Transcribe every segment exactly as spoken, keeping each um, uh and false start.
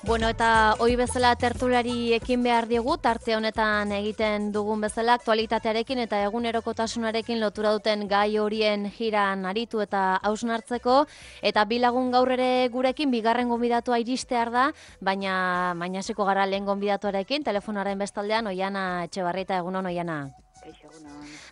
Bueno, eta hoi bezala tertuliari ekin behar diogu, tarte honetan egiten dugun bezala, aktualitatearekin eta egunerokotasunarekin lotura duten gai horien jiran aritu eta hausnartzeko, eta bi lagun gaur ere gurekin, bigarren gonbidatua iristear da, baina mainasiko gara lehen gonbidatuarekin, telefonaren bestaldean, Oiana Etxebarrieta, egunon Oiana.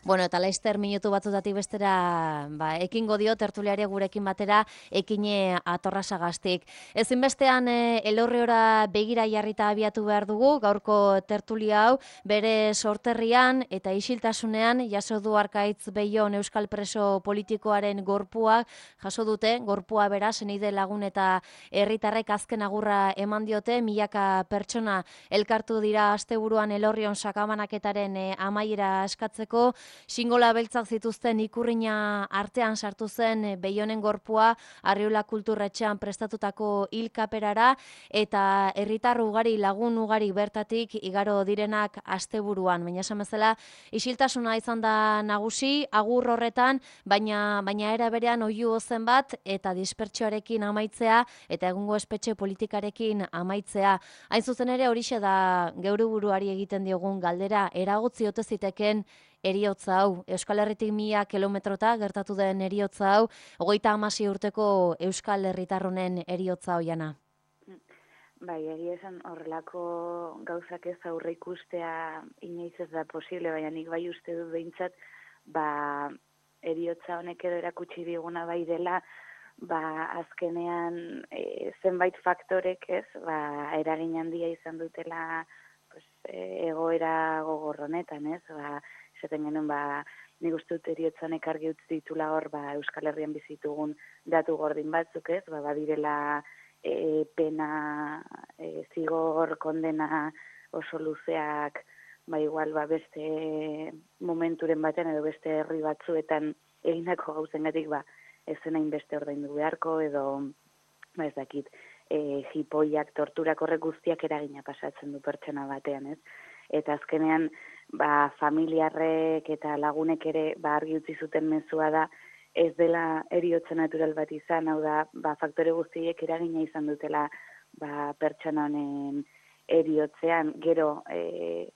Bueno, eta laizter minutu batzutatik bestera ba, ekingo dio tertuliari gurekin batera ekine atorrasagaztik. Ezinbestean e, elorriora begira jarrita abiatu behar dugu, gaurko tertulia hau bere sorterrian eta isiltasunean jaso du Arkaitz Beion euskal preso politikoaren gorpua jaso dute, gorpua bera senide lagun eta herritarrek azken agurra eman diote, milaka pertsona elkartu dira asteburuan Elorrion sakabanaketaren e, amaiera eskatzeko, xingola beltzak zituzten ikurrina artean sartu zen Beionen gorpua Arriola kulturretxean prestatutako hilkaperara eta herritar ugari lagun ugari bertatik igaro direnak asteburuan. Baina esan bezala isiltasuna izan da nagusi agur horretan, baina baina era berean oihu ozen bat eta dispertsioarekin amaitzea eta egungo espetxe politikarekin amaitzea. Hain zuzen ere horixe da geure buruari egiten diogun galdera, eragotzi ote ziteken eriotza hau, Euskal Herritik mila kilometrota gertatu den eriotza hau, hogeita hamasei urteko Euskal Herritarronen eriotza Oiana. Bai, egia esan horrelako gauzak ez aurre ikustea inoiz ez da posible, baina nik bai uste dut behintzat, ba, eriotza honek edo erakutsi diguna bai dela, ba, azkenean e, zenbait faktorek ez, ba, eragin handia izan dutela pues, e, egoera gogorronetan, ez, ba, esaten genuen, ba, nik uste dut eriotzak argi utzi ditula hor, ba, Euskal Herrian bizitugun datu gordin batzuk, ez, ba, badirela e, pena, e, zigor, kondena oso luzeak, ba, igual, ba, beste momenturen batean edo beste herri batzuetan egindako gauzengatik, ba, ez zen hainbeste ordaindu beharko, edo, ba, ez dakit, e, jipoiak, torturak horrek guztiak eragina pasatzen du pertsona batean, ez? Eta azkenean, ba, familiarrek eta lagunek ere ba, argi utzi zuten mezua da, ez dela eriotza natural bat izan, hau da, ba, faktore guztiek eragina izan dutela ba, pertsona honen eriotzean, gero e,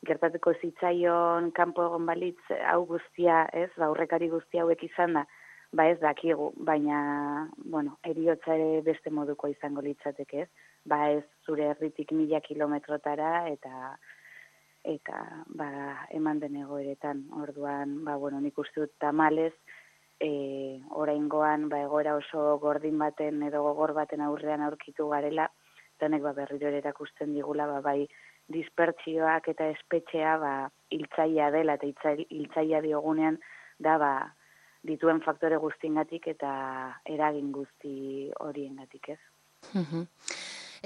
gertatuko zitzaion kanpo egon balitz hau guztia, ez, ba, aurrekari guzti hauek izan da, ba ez dakigu, baina, bueno, eriotza ere beste moduko izango litzateke, ez, ba ez zure herritik mila kilometrotara eta eta ba, eman den egoeretan, orduan, ba, bueno, nik uste dut tamalez, e, oraingoan ba, egoera oso gordin baten edo gogor baten aurrean aurkitu garela, eta honek ba, berriro ere erakusten digula, ba, bai, dispertsioak eta espetxea ba, hiltzailea dela, eta hiltzailea diogunean da, ba, dituen faktore guztiengatik eta eragin guzti horiengatik, ez. Mhm.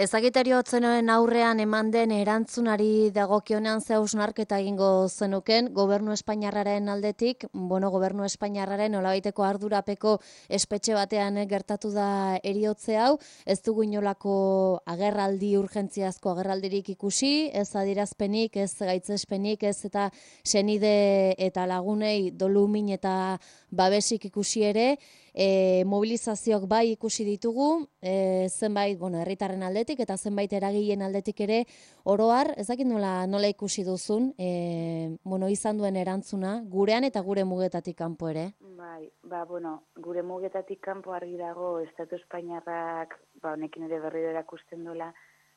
Ezagiteri hotzenoen aurrean eman den erantzunari dagokionean ze hausnarketa egingo zenuken, gobernu espainiarraren aldetik, bueno, gobernu espainiarraren nolabaiteko ardurapeko espetxe batean gertatu da eriotze hau, ez dugu inolako agerraldi urgentziazko agerraldirik ikusi, ez adierazpenik, ez gaitzespenik, ez eta senide eta lagunei dolumin eta babesik ikusi ere, E, mobilizazioak bai ikusi ditugu, e, zenbait, bueno, herritarren aldetik eta zenbait eragileen aldetik ere oroar, ez dakit nola, nola ikusi duzun, e, bueno, izan duen erantzuna, gurean eta gure mugetatik kanpo ere. Bai, ba, bueno, gure mugetatik kanpo argi dago, Estatu Espainiarrak, ba, honekin ere berriro erakusten duela,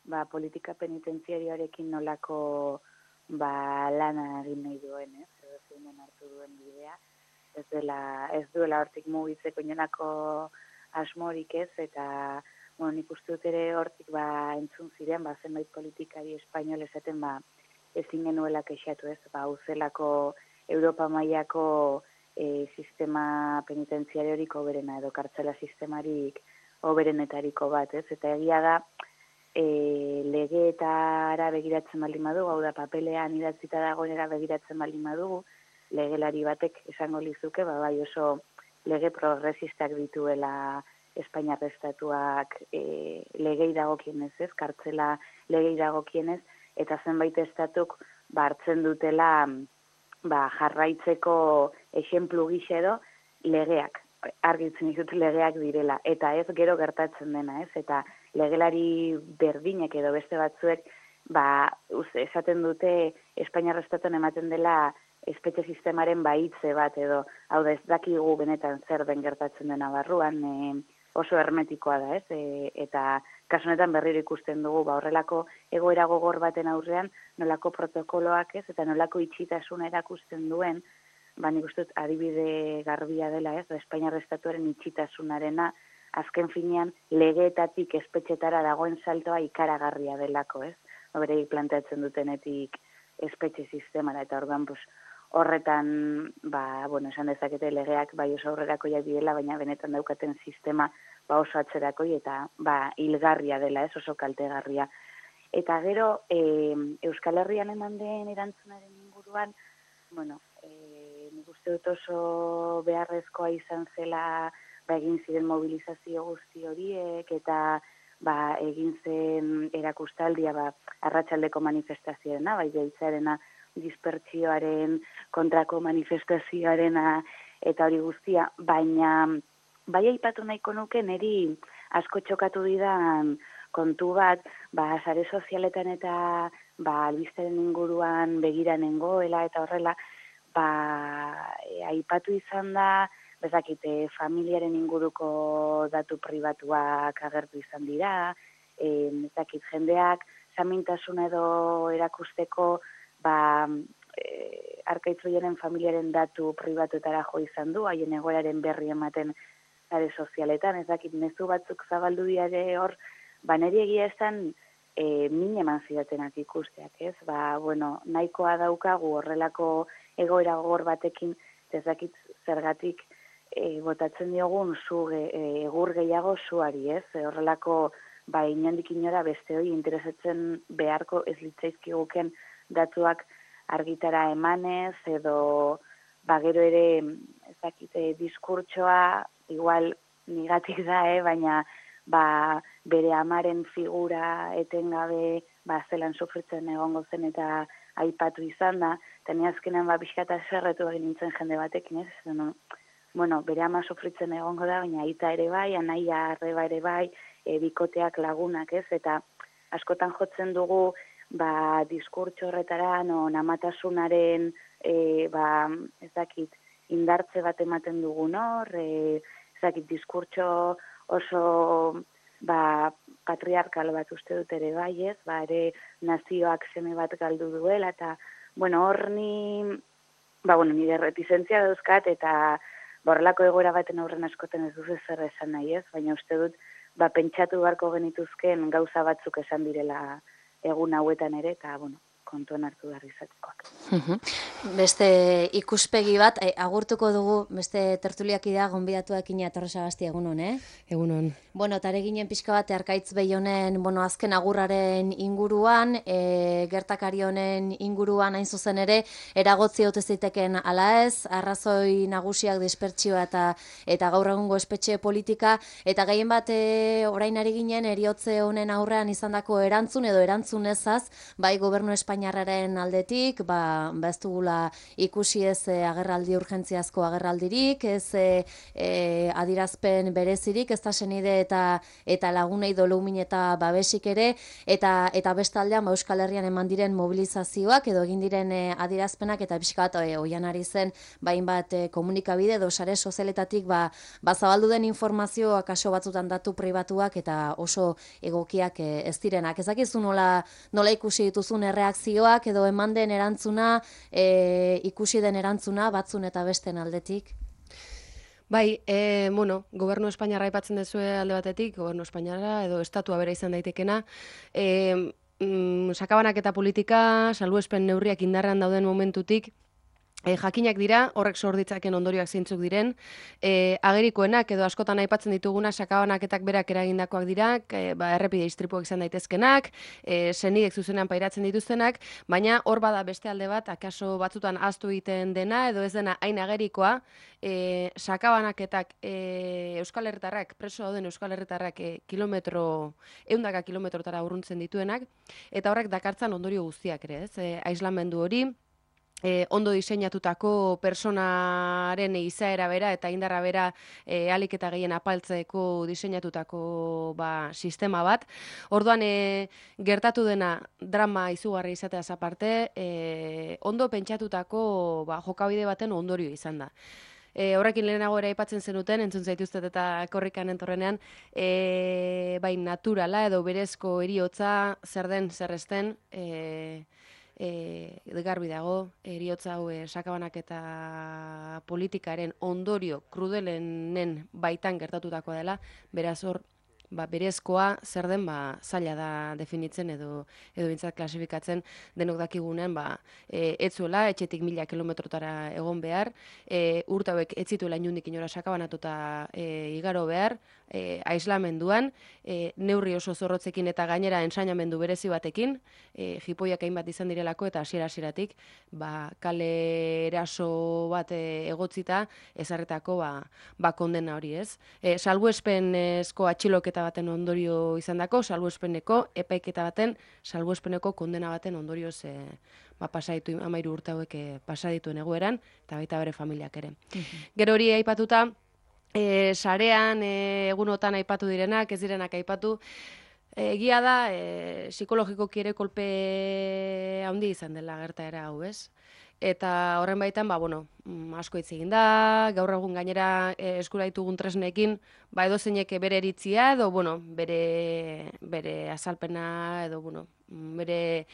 ba, politika penitentziarioarekin nolako, ba, lana egin nahi duen, ez, edo zeinen hartu duen bidea. Ez dela, ez duela hortik mugitzeko inolako asmorik ez, eta bueno, nik uste dut ere hortik ba, entzun ziren, ba, zenbait politikari espainol esaten ba, ezin genuela kexatu ez, ba, uzelako Europa mailako e, sistema penitentziariorik oberena edo kartzela sistemarik oberenetariko bat ez, eta egia da e, legeetara begiratzen baldin badugu, hau da papelean idatzita dagoenera begiratzen baldin badugu, legelari batek esango lizuke, ba, bai oso lege progresistak dituela Espainiar estatuak e, legei dagokienez, ez, kartzela legei dagokienez, eta zenbait estatuk ba, hartzen dutela ba, jarraitzeko exemplu gisa edo legeak argitzen ditut legeak direla, eta ez gero gertatzen dena, ez? Eta legelari berdinek edo beste batzuek, ba, esaten dute Espainiar Estatuan ematen dela espetxe sistemaren bahitze bat edo, hau da ez dakigu benetan zer den gertatzen dena barruan, e, oso hermetikoa da, ez? E, eta kasu honetan berriro ikusten dugu, ba, horrelako egoera gogor baten aurrean, nolako protokoloak ez, eta nolako itxitasuna erakusten duen, ba, nik uste dut adibide garbia dela, ez? Espainiar Estatuaren itxitasunarena, azken finean legeetatik espetxetara dagoen saltoa ikaragarria delako, ez? Bereik planteatzen dutenetik espetxe sistemara, eta orduan, pues, horretan, ba, bueno, esan dezakete legeak bai oso aurrerakoiak direla, baina benetan daukaten sistema ba oso atzerakoi eta ba hilgarria dela, ez oso kaltegarria. Eta gero, e, Euskal Herrian eman den erantzunaren inguruan, bueno, e, nik uste dut oso beharrezkoa izan zela, ba, egin ziren mobilizazio guzti horiek, eta ba, egin zen erakustaldia, ba, arratsaldeko manifestazioarena, bai behitzarena, dispertsioaren kontrako manifestazioarena eta hori guztia, baina bai aipatu nahiko nuke niri asko txokatu didan kontu bat, ba, sare sozialetan eta ba, albisteren inguruan begira nengoela eta horrela, ba, e, aipatu izan da, bezakite, familiaren inguruko datu pribatuak agertu izan dira, e, bezakit, jendeak samintasuna edo erakusteko ba, e, Arkaitz-Oianen familiaren datu pribatuetara jo izan du, haien egoeraren berri ematen sare sozialetan, ez dakit mezu batzuk zabaldu diare hor, ba, niri egia esan e, min eman zidatenak ikusteak, ez? Ba, bueno, nahikoa daukagu horrelako egoera gogor batekin, ez dakit zergatik e, botatzen diogun zu, e, egur gehiago zuari, ez? E, horrelako, ba, inondik inora beste hori interesatzen beharko ez litzaizkiguken datuak argitara emanez, edo ba, gero ere ezakite diskurtsoa, igual nigatik da, eh, baina ba, bere amaren figura etengabe ba, zelan sufritzen egongo zen eta aipatu izan da, eta ni azkenan ba, pixkata zerretu egin nintzen jende batekin, ez? No, bueno, bere ama sufritzen egongo da, baina aita ere bai, anaia arreba ere bai, e, bikoteak lagunak, ez? Eta askotan jotzen dugu ba, diskurtso horretara, no, namatasunaren, e, ba, ez dakit, indartze bat ematen dugun hor, e, ez dakit, diskurtso oso, ba, patriarkal bat uste dut ere bai, ez, ba, ere nazioak seme bat galdu duela, eta, bueno, hor ni, ba, bueno, nire retizentzia dauzkat, eta borrelako egoera baten aurren askoten ez duzu zer esan nahi, ez, baina uste dut, ba, pentsatu beharko genituzken gauza batzuk esan direla egun hauetan ere, eta, bueno, kontuan hartu behar izatekoak. Beste ikuspegi bat, e, agurtuko dugu, beste tertuliakidea gonbidatuak ina Torre Sagasti, egunon, eh? Egunon. Bueno, tare ginen pixka bat, Arkaitz Beionen, bueno, azken agurraren inguruan, e, gertakari honen inguruan hain zuzen ere, eragotzi haute ziteken ala ez, arrazoi nagusiak dispertsioa eta eta gaur egungo espetxe politika, eta gehien bat e, orain ari ginen, eriotze honen aurrean izandako erantzun edo erantzun ezaz, bai gobernu Espainiarraren aldetik, ba, ba ez dugula ikusi ez e, agerraldi urgentziazko agerraldirik, ez e, e, adirazpen berezirik, ez da senide eta eta lagunei dolumin eta babesik ere, eta eta bestaldean ba, Euskal Herrian eman diren mobilizazioak edo egin diren e, adirazpenak eta pixka bat e, oian ari zen bain bat e, komunikabide edo sare sozialetatik ba, ba zabaldu den informazioa kaso batzutan datu pribatuak eta oso egokiak e, ez direnak. Ez dakizu nola, nola ikusi dituzun erreakzioak edo eman den erantzuna, e, ikusi den erantzuna batzun eta besten aldetik? Bai, e, bueno, gobernu Espainiarra aipatzen dezue alde batetik, gobernu Espainiarra edo estatua bera izan daitekena, e, mm, sakabanak eta politika, salbuespen neurriak indarrean dauden momentutik, E, jakinak dira, horrek sor ditzaken ondorioak zeintzuk diren, e, agerikoenak edo askotan aipatzen dituguna sakabanaketak berak eragindakoak dira, e, ba, errepide istripuak izan daitezkenak, e, senidek zuzenean pairatzen dituztenak, baina hor bada beste alde bat, akaso batzutan ahaztu egiten dena edo ez dena hain agerikoa, e, sakabanaketak e, Euskal Herritarrak, preso dauden Euskal Herritarrak e, kilometro, ehundaka kilometrotara urruntzen dituenak, eta horrek dakartzan ondorio guztiak ere, ez? E, aislamendu hori, E, ondo diseinatutako personaren izaera bera eta indarra bera e, ahalik eta gehien apaltzeko diseinatutako ba, sistema bat. Orduan e, gertatu dena drama izugarri izateaz aparte, e, ondo pentsatutako ba, jokabide baten ondorio izan da. E, horrekin lehenago ere aipatzen zenuten, entzun zaituztet eta korrikan entorrenean, e, bai naturala edo berezko heriotza zer den, zer ez den, e, E, garbi dago, heriotza hau e, sakabanak eta politikaren ondorio krudelenen baitan gertatutakoa dela, beraz hor, ba, berezkoa zer den ba, zaila da definitzen edo edo bintzat klasifikatzen denok dakigunean ba, e, etzuela, etxetik mila kilometrotara egon behar, e, urte hauek ez zituela inundik inora sakabanatuta e, igaro behar, e, aislamenduan, e, neurri oso zorrotzekin eta gainera ensainamendu berezi batekin, e, jipoiak hainbat izan direlako eta hasiera-hasieratik ba, kale eraso bat e, egotzita ezarretako ba, ba kondena hori ez. E, salbuespenezko atxiloketa baten ondorio izandako, salbuespeneko epaiketa baten, salbuespeneko kondena baten ondorioz e, ba, pasaditu amairu urte hauek e, pasadituen egoeran, eta baita bere familiak ere. Mm-hmm. Gero hori aipatuta, e, sarean e, egunotan aipatu direnak, ez direnak aipatu, egia da, e, psikologikoki ere kolpe handi izan dela gertaera hau, ez? Eta horren baitan, ba, bueno, asko hitz egin da, gaur egun gainera e, eskura ditugun tresnekin, ba, edo zeinek bere eritzia, edo, bueno, bere, bere azalpena, edo, bueno, bere,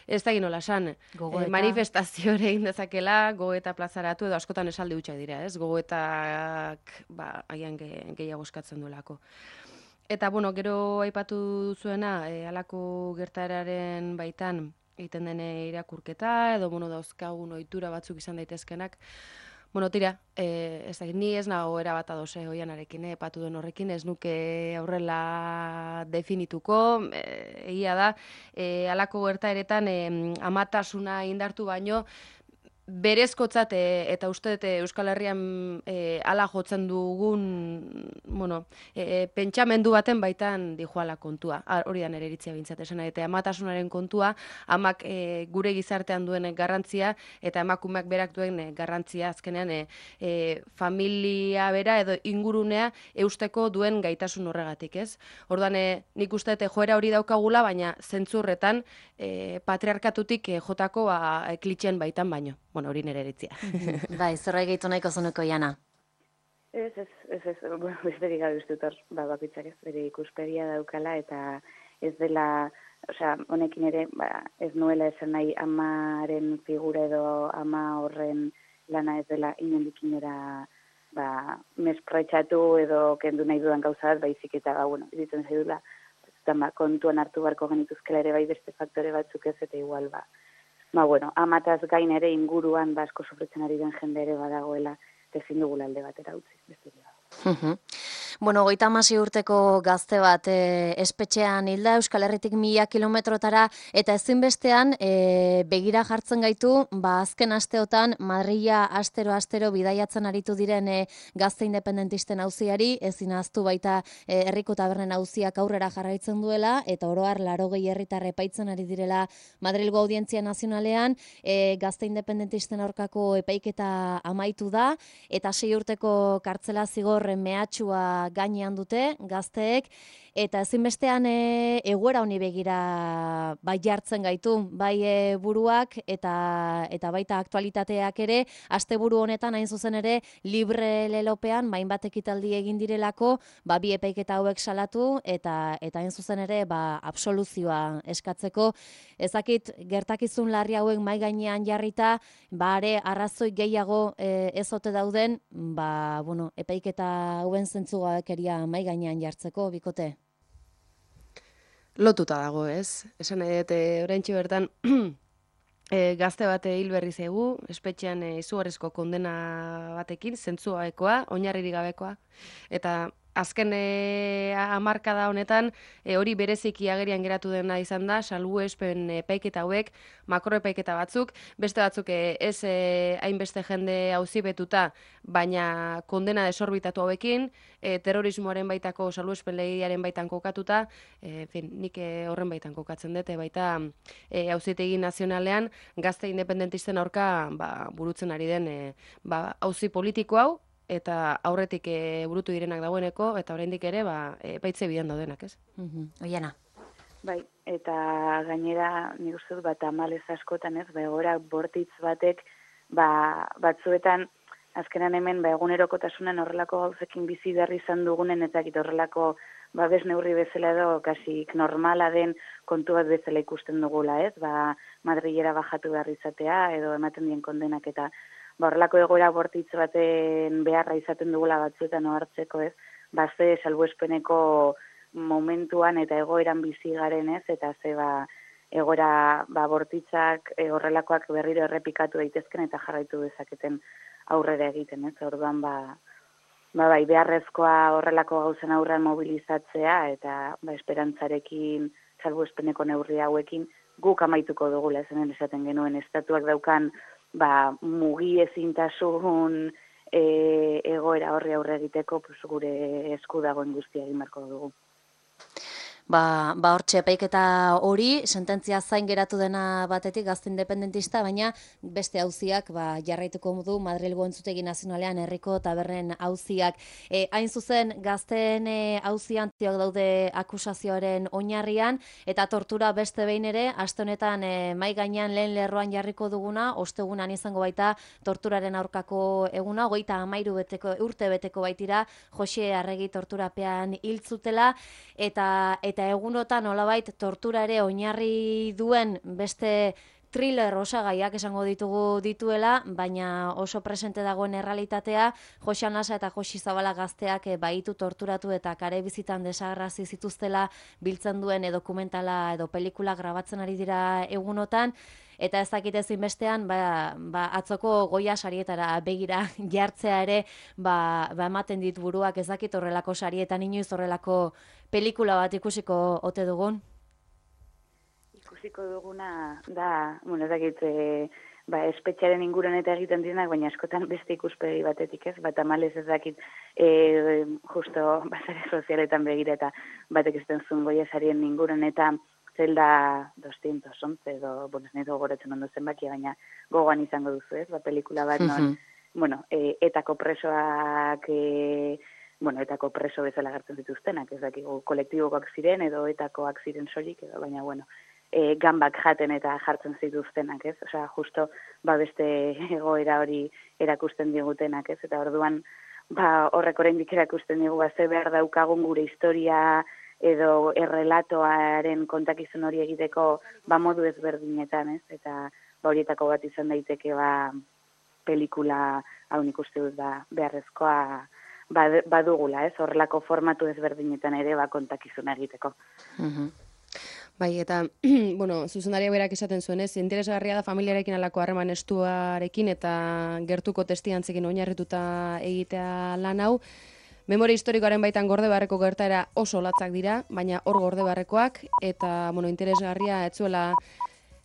ez da ginola esan, e, manifestazio ere egin dezakela, gogoeta plazaratu, edo askotan esaldi hutsak dira, ez? Gogoetak, ba, agian ge, gehiago eskatzen duelako. Eta, bueno, gero aipatu zuena, e, halako gertaeraren baitan, egiten dene irakurketa, edo, bueno, dauzkagun ohitura batzuk izan daitezkenak. Bueno, tira, e, ez da, ni ez nago erabat ados eh, Oianarekin, eh, epatu den horrekin, ez nuke aurrela definituko, e, egia da, e, halako gertaeretan e, amatasuna indartu baino, berezkotzat e, eta uste dut Euskal Herrian e, ala jotzen dugun, bueno, e, pentsamendu baten baitan dijoala kontua. Hori da nire iritzia bintzat esan eta amatasunaren kontua, amak e, gure gizartean duen garrantzia eta emakumeak berak duen garrantzia azkenean e, e, familia bera edo ingurunea eusteko duen gaitasun horregatik, ez? Orduan e, nik uste dut joera hori daukagula, baina zentzurretan e, patriarkatutik e, jotako ba, klitxen baitan baino. Bueno, hori nire eritzia. Bai, zerbait gehitu nahiko zenuko, Jana? Ez, ez, ez, ez, bueno, besterik gabe uste dut, ba, bakoitzak ez bere ikuspegia daukala, eta ez dela, osea, honekin ere, ba, ez nuela esan nahi amaren figura edo ama horren lana ez dela inondik inora, ba, mesprotxatu edo kendu nahi dudan gauza bat, baizik eta, ba, bueno, izitzen zaidula, ba, kontuan hartu barko genituzkela ere bai beste faktore batzuk ez, eta igual, ba, ba, bueno, amataz gain ere inguruan basko sufritzen ari den jende ere badagoela, ezin dugula alde batera utzi, besterik gabe. Bueno, hogeita hamasei urteko gazte bat e, espetxean hilda Euskal Herritik mila kilometrotara eta ezinbestean e, begira jartzen gaitu, ba azken asteotan Madrila astero-astero bidaiatzen aritu diren e, gazte independentisten auziari, ezin ahaztu baita e, herriko tabernen auziak aurrera jarraitzen duela eta oro har laurogei herritar epaitzen ari direla Madrilgo Audientzia Nazionalean, e, gazte independentisten aurkako epaiketa amaitu da eta sei urteko kartzela zigor mehatxua gainean dute gazteek eta ezinbestean e, egoera honi begira bai jartzen gaitu, bai e, buruak eta eta baita aktualitateak ere asteburu honetan hain zuzen ere libre lelopean hainbat ekitaldi egin direlako, ba bi epaiketa hauek salatu eta eta hain zuzen ere ba absoluzioa eskatzeko. Ezakit gertakizun larri hauek mai gainean jarrita, ba are arrazoi gehiago e, ez ote dauden, ba bueno, epaiketa hauen zentzugakeria mai gainean jartzeko, bikote. Lotuta dago, ez? Esan nahi dut, oraintxe bertan e, gazte bate hil berri zaigu, espetxean e, izugarrizko kondena batekin, zentzugabekoa, oinarririk gabekoa, eta azken e, hamarkada honetan e, hori bereziki agerian geratu dena izan da, salbuespen epaiketa hauek, makroepaiketa batzuk, beste batzuk e, ez e, hainbeste jende auzipetuta, baina kondena desorbitatu hauekin, e, terrorismoaren baitako salbuespen legearen baitan kokatuta, e, fin, nik e, horren baitan kokatzen dute, baita e, auzitegi nazionalean gazte independentisten aurka ba, burutzen ari den e, ba, auzi politiko hau, eta aurretik e, burutu direnak dagoeneko, eta oraindik ere, ba, e, baitze bidean daudenak, ez? Mm-hmm. Oiana. Bai, eta gainera, nik uste dut, bat amalez askotan, ez, ba, egoera bortitz batek, ba, batzuetan, azkenan hemen, ba, egunerokotasunen horrelako gauzekin bizi berri izan dugunen, eta horrelako, ba, bez neurri bezala edo, kasik normala den kontu bat bezala ikusten dugula, ez, ba, Madrilera bajatu behar izatea, edo ematen dien kondenak, eta ba, horrelako egoera bortitz baten beharra izaten dugula batzuetan ohartzeko, ez? Ba, ze salbuespeneko momentuan eta egoeran bizi garen, ez? Eta ze ba, egoera ba, bortitzak e, horrelakoak berriro errepikatu daitezken eta jarraitu dezaketen aurrera egiten, ez? Orduan, ba, ba, bai, beharrezkoa horrelako gauzen aurrean mobilizatzea eta ba, esperantzarekin salbuespeneko neurri hauekin guk amaituko dugula, zen esaten genuen estatuak daukan ba, mugi ezintasun e, egoera horri aurre egiteko pues, gure esku dagoen guztia egin beharko dugu. Ba, ba hortxe epaiketa hori, sententzia zain geratu dena batetik gazte independentista, baina beste auziak ba, jarraituko du Madrilgo Entzutegi Nazionalean herriko tabernen auziak. E, hain zuzen, gazteen e, auzian ziok daude akusazioaren oinarrian, eta tortura beste behin ere, aste honetan e, mai gainean lehen lerroan jarriko duguna, ostegunan izango baita torturaren aurkako eguna, hogeita hamairu beteko, urte beteko baitira, Jose Arregi torturapean hiltzutela, eta eta egunotan nolabait tortura ere oinarri duen beste thriller osagaiak esango ditugu dituela, baina oso presente dagoen errealitatea, Jose Anasa eta Josi Zabala gazteak e, baitu torturatu eta kare bizitan desagerrazi zituztela biltzen duen e, dokumentala edo pelikula grabatzen ari dira egunotan, eta ez dakit ezin bestean, ba, ba, atzoko Goya sarietara begira jartzea ere, ba, ba ematen dit buruak ez dakit horrelako sarietan inoiz horrelako pelikula bat ikusiko ote dugun? Ikusiko duguna da, bueno, ez dakit, e, ba, espetxaren inguruan eta egiten direnak, baina askotan beste ikuspegi batetik, ez? Bat amalez ez dakit, e, justo basare sozialetan begira eta batek ez zuen Goya sarien inguruan eta zelda doscientos once edo, bueno, ez nahi gogoratzen ondo zenbakia, baina gogoan izango duzu, ez? Ba, pelikula bat non, mm-hmm. bueno, e, etako presoak, e, bueno, etako preso bezala gartzen zituztenak, ez dakigu kolektibokoak ziren edo etakoak ziren soilik, edo, baina, bueno, e, gambak jaten eta jartzen zituztenak, ez? Osea, justo, ba, beste egoera hori erakusten digutenak, ez? Eta orduan, ba, horrek oraindik erakusten digu, ba, ze behar daukagun gure historia edo errelatoaren kontakizun hori egiteko, ba, modu ezberdinetan, ez? Eta, ba, horietako bat izan daiteke, ba, pelikula, hau nik uste dut, ba, beharrezkoa, badugula, ez, horrelako formatu ezberdinetan ere ba kontakizuna egiteko. Uh-huh. Bai, eta, bueno, zuzendaria berak esaten zuen, ez, interesgarria da familiarekin alako harreman estuarekin eta gertuko testiantzekin oinarrituta egitea lan hau. Memoria historikoaren baitan gorde beharreko gertaera oso latzak dira, baina hor gorde beharrekoak, eta, bueno, interesgarria etzuela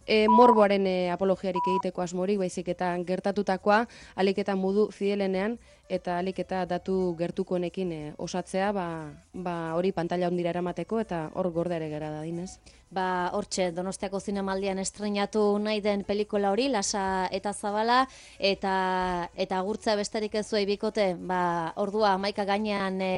E, morboaren e, apologiarik egiteko asmorik, baizik eta gertatutakoa alik eta modu fidelenean eta alik eta datu gertukoenekin e, osatzea, ba, ba hori pantalla hondira eramateko eta hor gorde ere gara da dinez. Ba, hortxe, Donostiako Zinemaldian estreinatu nahi den pelikula hori, Lasa eta Zabala, eta eta agurtza besterik ez zuei bikote, ba, ordua hamaika gainean e,